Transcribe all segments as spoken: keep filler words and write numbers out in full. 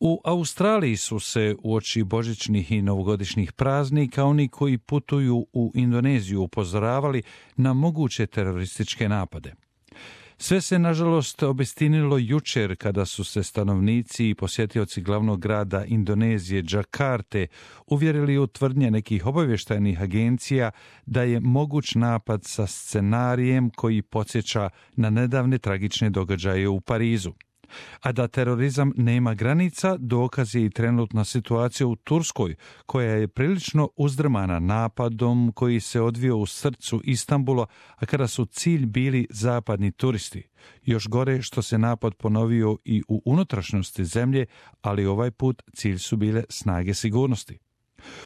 U Australiji su se uoči božićnih i novogodišnjih praznika oni koji putuju u Indoneziju upozoravali na moguće terorističke napade. Sve se, nažalost, obistinilo jučer kada su se stanovnici i posjetioci glavnog grada Indonezije, Džakarte, uvjerili u tvrdnje nekih obavještajnih agencija da je moguć napad sa scenarijem koji podsjeća na nedavne tragične događaje u Parizu. A da terorizam nema granica, dokaz je i trenutna situacija u Turskoj, koja je prilično uzdrmana napadom koji se odvio u srcu Istanbula, a kada su cilj bili zapadni turisti. Još gore što se napad ponovio i u unutrašnjosti zemlje, ali ovaj put cilj su bile snage sigurnosti.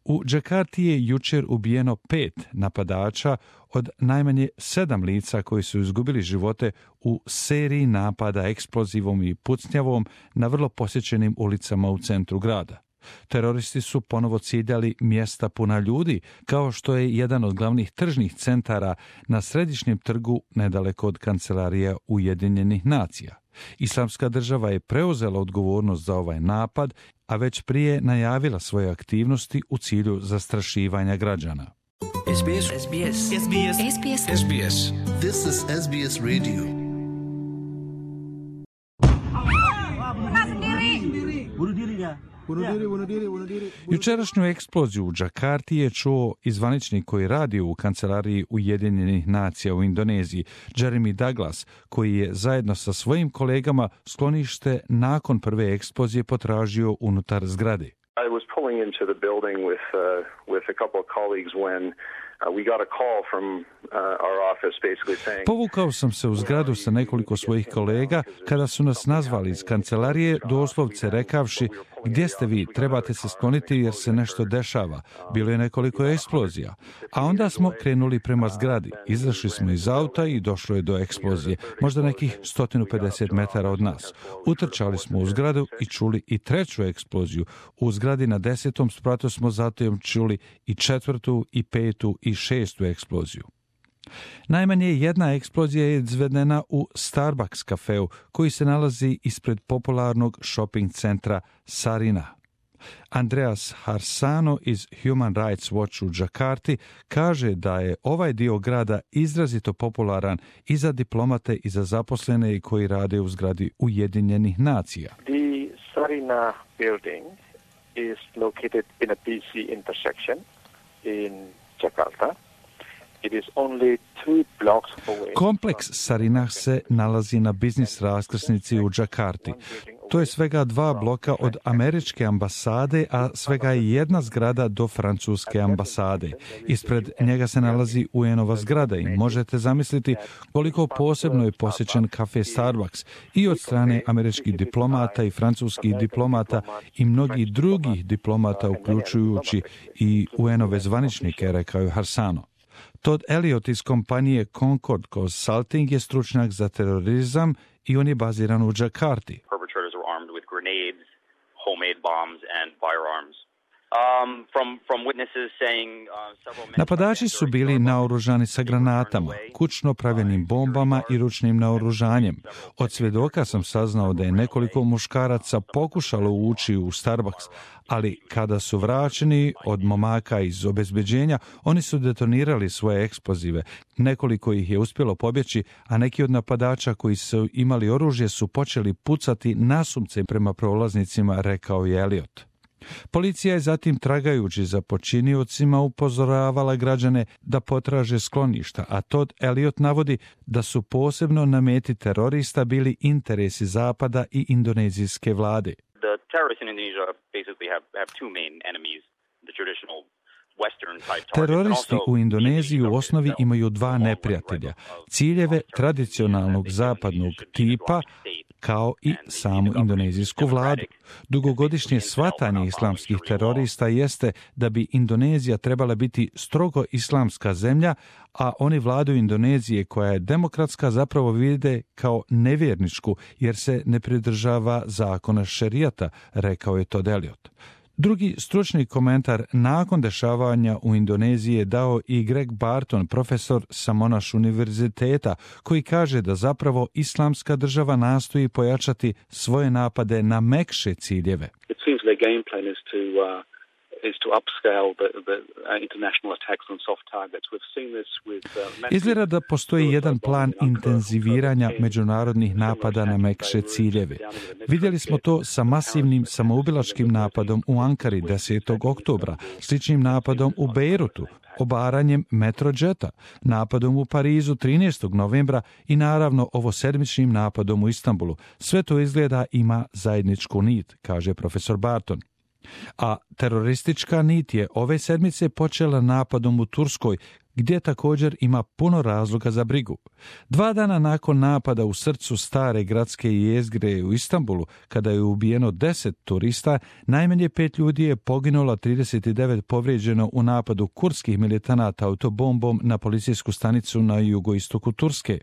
U Džakarti je jučer ubijeno pet napadača od najmanje sedam lica koji su izgubili živote u seriji napada eksplozivom i pucnjavom na vrlo posjećenim ulicama u centru grada. Teroristi su ponovo ciljali mjesta puna ljudi, kao što je jedan od glavnih tržnih centara na središnjem trgu nedaleko od kancelarije Ujedinjenih nacija. Islamska država je preuzela odgovornost za ovaj napad, a već prije najavila svoje aktivnosti u cilju zastrašivanja građana. S B S. S B S. S B S. S B S. S B S. This is S B S Radio. Bunuh diri dia. Bunuh diri, bunuh diri, bunuh diri. Jučerašnju eksploziju u Džakarti je čuo i zvaničnik koji radi u kancelariji Ujedinjenih nacija u Indoneziji, Jeremy Douglas, koji je zajedno sa svojim kolegama sklonište nakon prve eksplozije potražio unutar zgrade. I was pulling into the building with uh, with a couple of colleagues when uh, we got a call from uh, our office basically saying. Povukao sam se u zgradu sa nekoliko svojih kolega kada su nas nazvali iz kancelarije, doslovce rekavši: "Gdje ste vi? Trebate se skloniti jer se nešto dešava." Bilo je nekoliko eksplozija. A onda smo krenuli prema zgradi. Izašli smo iz auta i došlo je do eksplozije, možda nekih sto pedeset metara od nas. Utrčali smo u zgradu i čuli i treću eksploziju. U zgradi na desetom spratu smo zatim čuli i četvrtu, i petu, i šestu eksploziju. Najmanje jedna eksplozija je izvedena u Starbucks kafeu koji se nalazi ispred popularnog shopping centra Sarina. Andreas Harsano iz Human Rights Watch u Džakarti kaže da je ovaj dio grada izrazito popularan i za diplomate i za zaposlene koji rade u zgradi Ujedinjenih nacija. The Sarina building is located in a busy intersection in Jakarta. It is only two blocks away. Kompleks Sarinah se nalazi na biznis raskrsnici u Džakarti. To je svega dva bloka od američke ambasade, a svega je jedna zgrada do francuske ambasade. Ispred njega se nalazi U N-ova zgrada i možete zamisliti koliko posebno je posjećen kafe Starbucks i od strane američkih diplomata i francuskih diplomata i mnogih drugih diplomata, uključujući i U N-ove zvaničnike, rekao je Harsano. Todd Elliot iz kompanije Concord Consulting je stručnjak za terorizam i on je baziran u Džakarti. Perpetrators were armed with grenades, homemade bombs and firearms. Um, from, from witnesses saying, uh, several men... Napadači su bili naoružani sa granatama, kućno pravljenim bombama i ručnim naoružanjem. Od svjedoka sam saznao da je nekoliko muškaraca pokušalo ući u Starbucks, ali kada su vraćeni od momaka iz obezbeđenja, oni su detonirali svoje eksplozive. Nekoliko ih je uspjelo pobjeći, a neki od napadača koji su imali oružje su počeli pucati nasumce prema prolaznicima, rekao je Elliot. Policija je zatim, tragajući za počiniocima, upozoravala građane da potraže skloništa, a Todd Elliot navodi da su posebno na meti terorista bili interesi Zapada i indonezijske vlade. The terrorists in Indonesia basically have, have two main enemies, the traditional Western type targets. Teroristi u Indoneziji u osnovi imaju dva neprijatelja, ciljeve tradicionalnog zapadnog tipa, kao i samu indonezijsku vladu. Dugogodišnje shvatanje islamskih terorista jeste da bi Indonezija trebala biti strogo islamska zemlja, a oni vladu Indonezije koja je demokratska zapravo vide kao nevjerničku jer se ne pridržava zakona šerijata, rekao je Todd Elliot. Drugi stručni komentar nakon dešavanja u Indoneziji je dao i Greg Barton, profesor sa Monash univerziteta, koji kaže da zapravo islamska država nastoji pojačati svoje napade na mekše ciljeve. The their game plan is to uh, is to upscale the, the uh, international attacks on soft targets. We've seen this with uh, Izgleda da postoji jedan plan intenziviranja međunarodnih napada na mekše ciljeve. Vidjeli smo to sa masivnim samoubilačkim napadom u Ankari desetog oktobra, sličnim napadom u Bejrutu, obaranjem Metrođeta, napadom u Parizu trinaestog novembra i naravno ovosedmičnim napadom u Istanbulu. Sve to izgleda ima zajedničku nit, kaže profesor Barton. A teroristička nit je ove sedmice počela napadom u Turskoj, gdje također ima puno razloga za brigu. Dva dana nakon napada u srcu stare gradske jezgre u Istanbulu, kada je ubijeno deset turista, najmanje pet ljudi je poginulo, trideset devet povrijeđeno u napadu kurdskih militanata autobombom na policijsku stanicu na jugoistoku Turske.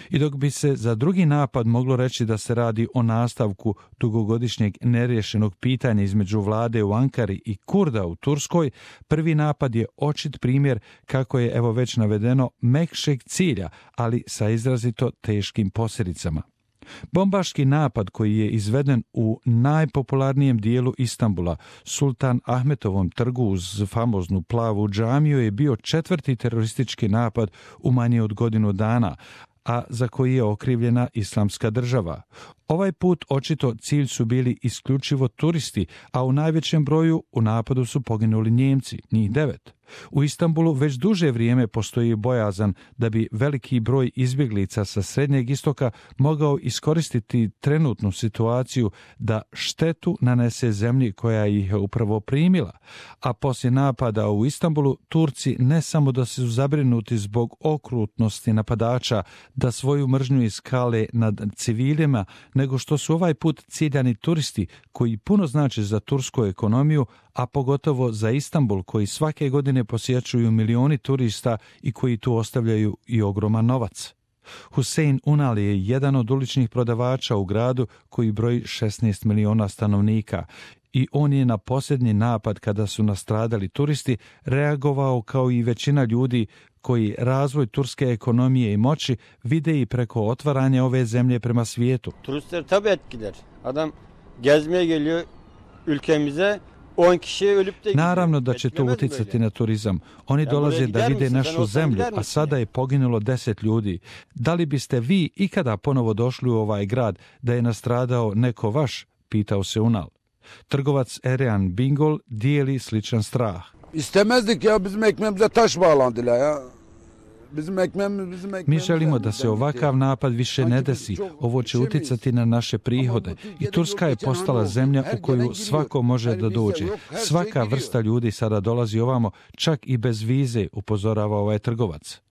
I dok bi se za drugi napad moglo reći da se radi o nastavku dugogodišnjeg neriješenog pitanja između vlade u Ankari i Kurda u Turskoj, prvi napad je očit primjer, kako je evo već navedeno, mekšeg cilja, ali sa izrazito teškim posljedicama. Bombaški napad koji je izveden u najpopularnijem dijelu Istanbula, Sultan Ahmetovom trgu uz famoznu plavu džamiju, je bio četvrti teroristički napad u manje od godinu dana, a za koji je okrivljena Islamska država. Ovaj put očito cilj su bili isključivo turisti, a u najvećem broju u napadu su poginuli Njemci, njih devet. U Istanbulu već duže vrijeme postoji bojazan da bi veliki broj izbjeglica sa Srednjeg istoka mogao iskoristiti trenutnu situaciju da štetu nanese zemlji koja ih je upravo primila. A poslije napada u Istanbulu, Turci ne samo da su zabrinuti zbog okrutnosti napadača, da svoju mržnju iskale nad civilima, nego što su ovaj put ciljani turisti koji puno znače za tursku ekonomiju, a pogotovo za Istanbul koji svake godine posjećuju milioni turista i koji tu ostavljaju i ogroman novac. Hussein Unal je jedan od uličnih prodavača u gradu koji broji šesnaest miliona stanovnika i on je na posljednji napad, kada su nastradali turisti, reagovao kao i većina ljudi koji razvoj turske ekonomije i moći vide i preko otvaranja ove zemlje prema svijetu. Turistler tabii etkiler. Adam gezmeye geliyor ülkemize. Naravno da će to utjecati na turizam. Oni dolaze da vide našu zemlju, a sada je poginulo deset ljudi. Da li biste vi ikada ponovo došli u ovaj grad da je nastradao neko vaš? Pitao se Unal. Trgovac Erean Bingol dijeli sličan strah. İstemezdik ya, bizim ekmeğimize taş bağlandılar ya. Mi želimo da se ovakav napad više ne desi. Ovo će utjecati na naše prihode. I Turska je postala zemlja u koju svako može da dođe. Svaka vrsta ljudi sada dolazi ovamo, čak i bez vize, upozorava ovaj trgovac.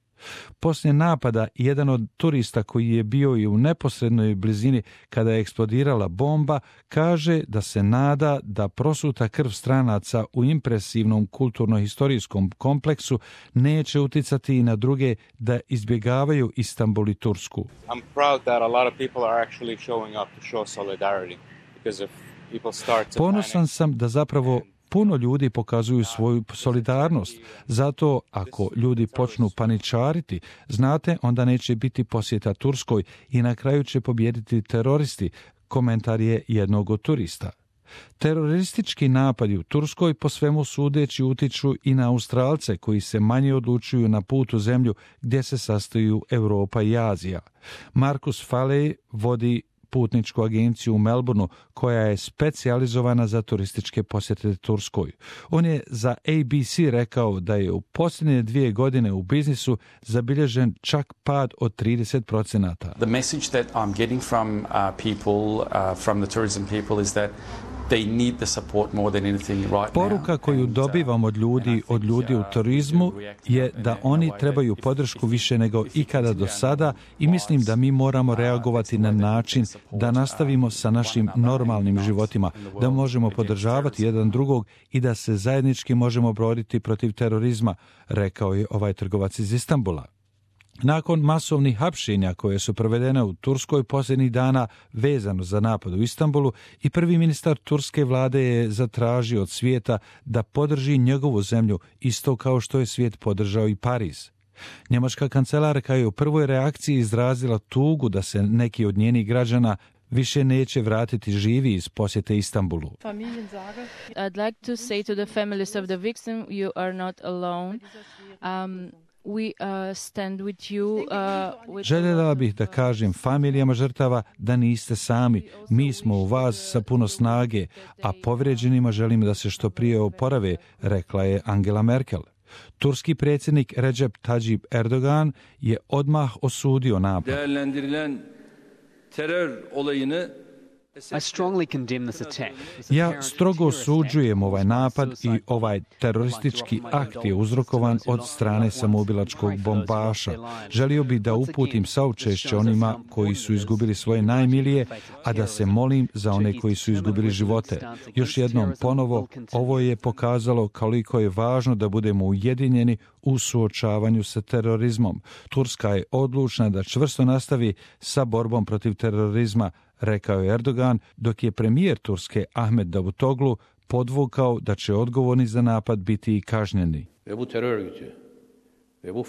Poslije napada, jedan od turista koji je bio i u neposrednoj blizini kada je eksplodirala bomba, kaže da se nada da prosuta krv stranaca u impresivnom kulturno-historijskom kompleksu neće utjecati i na druge da izbjegavaju Istanbul i Tursku. I'm proud that a lot of people are actually showing up to show solidarity, because if people start to Ponosan sam da zapravo puno ljudi pokazuju svoju solidarnost. Zato ako ljudi počnu paničariti, znate, onda neće biti posjeta Turskoj i na kraju će pobijediti teroristi, komentar je jednog od turista. Teroristički napadi u Turskoj po svemu sudeći utiču i na Australce koji se manje odlučuju na put u zemlju gdje se sastaju Europa i Azija. Markus Faley vodi putničku agenciju u Melbourneu koja je specijalizovana za turističke posjete Turskoj. On je za A B C rekao da je u posljednje dvije godine u biznisu zabilježen čak pad od trideset procenata. The message that I'm getting from uh, people, uh, from the tourism people is that they need the support more than anything right now. Poruka koju dobivam od ljudi, od ljudi u turizmu je da oni trebaju podršku više nego ikada do sada i mislim da mi moramo reagovati na način da nastavimo sa našim normalnim životima, da možemo podržavati jedan drugog i da se zajednički možemo boriti protiv terorizma, rekao je ovaj trgovac iz Istanbula. Nakon masovnih hapšenja koje su provedene u Turskoj posljednjih dana vezano za napad u Istanbulu, i prvi ministar turske vlade je zatražio od svijeta da podrži njegovu zemlju isto kao što je svijet podržao i Pariz. Njemačka kancelarka je u prvoj reakciji izrazila tugu da se neki od njenih građana više neće vratiti živi iz posjete Istanbulu. I'd like to say to the families of the victim, you are not alone. Um, We uh, stand with you, uh, with Željela bih da kažem familijama žrtava da niste sami. Mi smo u vas sa puno snage, a povrijeđenima želim da se što prije oporave, rekla je Angela Merkel. Turski predsjednik Recep Tayyip Erdogan je odmah osudio napad. Ja strogo osuđujem ovaj napad i ovaj teroristički akt je uzrokovan od strane samoubilačkog bombaša. Želio bih da uputim saučešće onima koji su izgubili svoje najmilije, a da se molim za one koji su izgubili živote. Još jednom ponovo, ovo je pokazalo koliko je važno da budemo ujedinjeni u suočavanju sa terorizmom. Turska je odlučna da čvrsto nastavi sa borbom protiv terorizma, rekao je Erdogan, dok je premijer Turske Ahmet Davutoglu podvukao da će odgovorni za napad biti i kažnjeni. Ve bu terör örgütü ve bu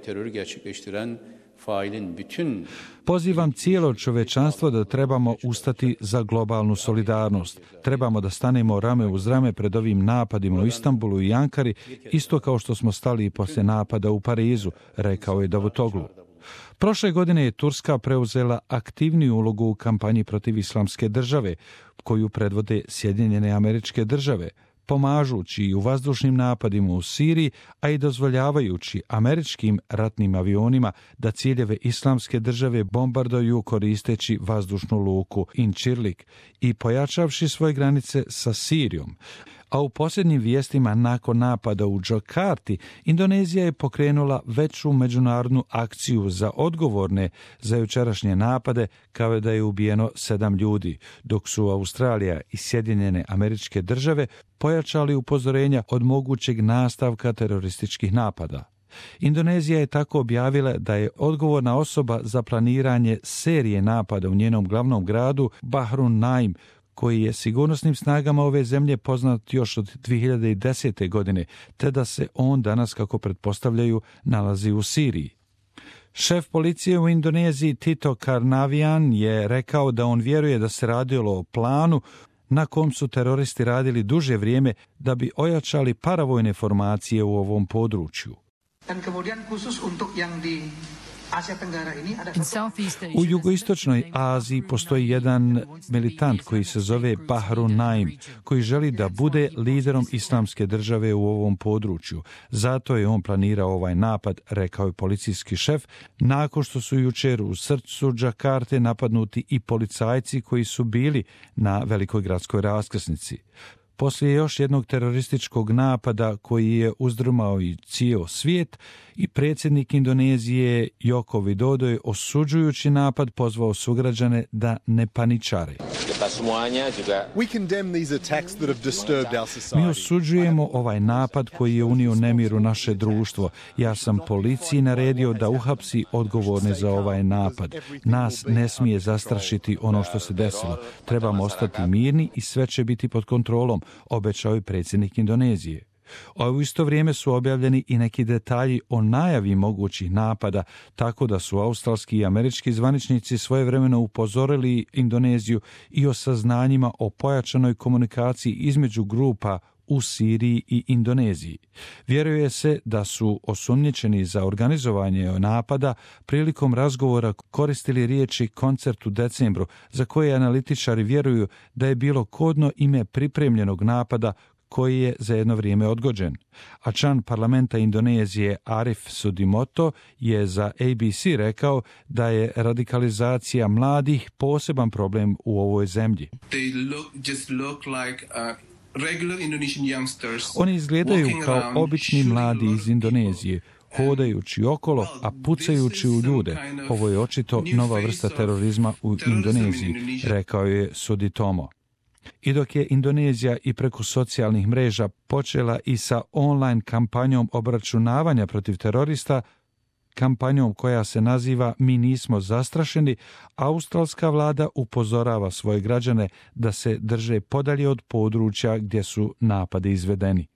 terörü gerçekleştiren failin bütün Pozivam cijelo čovečanstvo da trebamo ustati za globalnu solidarnost. Trebamo da stanemo rame uz rame pred ovim napadima u Istanbulu i Ankari, isto kao što smo stali i poslije napada u Parizu, rekao je Davutoglu. Prošle godine je Turska preuzela aktivniju ulogu u kampanji protiv Islamske države, koju predvode Sjedinjene Američke Države, pomažući i u vazdušnim napadima u Siriji, a i dozvoljavajući američkim ratnim avionima da ciljeve Islamske države bombarduju koristeći vazdušnu luku Incirlik i pojačavši svoje granice sa Sirijom. A u posljednjim vijestima nakon napada u Džakarti, Indonezija je pokrenula veću međunarodnu akciju za odgovorne za jučerašnje napade, kao da je ubijeno sedam ljudi, dok su Australija i Sjedinjene Američke Države pojačali upozorenja od mogućeg nastavka terorističkih napada. Indonezija je tako objavila da je odgovorna osoba za planiranje serije napada u njenom glavnom gradu Bahru Naim, koji je sigurnosnim snagama ove zemlje poznat još od dvije hiljade desete. godine, te da se on danas, kako pretpostavljaju, nalazi u Siriji. Šef policije u Indoneziji Tito Karnavian je rekao da on vjeruje da se radilo o planu na kom su teroristi radili duže vrijeme da bi ojačali paravojne formacije u ovom području. U jugoistočnoj Aziji postoji jedan militant koji se zove Bahru Naim, koji želi da bude liderom Islamske države u ovom području. Zato je on planirao ovaj napad, rekao je policijski šef, nakon što su jučer u srcu Džakarte napadnuti i policajci koji su bili na velikoj gradskoj raskrsnici. Poslije još jednog terorističkog napada koji je uzdrmao i cijel svijet, i predsjednik Indonezije Joko Widodo je osuđujući napad pozvao sugrađane da ne paničare. Mi osuđujemo ovaj napad koji je unio nemir u naše društvo. Ja sam policiji naredio da uhapsi odgovorne za ovaj napad. Nas ne smije zastrašiti ono što se desilo. Trebamo ostati mirni i sve će biti pod kontrolom, obećao je predsjednik Indonezije. A u isto vrijeme su objavljeni i neki detalji o najavi mogućih napada, tako da su australski i američki zvaničnici svojevremeno upozorili Indoneziju i o saznanjima o pojačanoj komunikaciji između grupa u Siriji i Indoneziji. Vjeruje se da su osumnjičeni za organizovanje napada prilikom razgovora koristili riječi koncert u decembru, za koje analitičari vjeruju da je bilo kodno ime pripremljenog napada koji je za jedno vrijeme odgođen. A član parlamenta Indonezije Arif Sudimoto je za A B C rekao da je radikalizacija mladih poseban problem u ovoj zemlji. They look, just look like, uh... Oni izgledaju kao obični mladi iz Indonezije, hodajući okolo, a pucajući u ljude. Ovo je očito nova vrsta terorizma u Indoneziji, rekao je Suditomo. I dok je Indonezija i preko socijalnih mreža počela i sa online kampanjom obračunavanja protiv terorista, kampanjom koja se naziva Mi nismo zastrašeni, australska vlada upozorava svoje građane da se drže podalje od područja gdje su napadi izvedeni.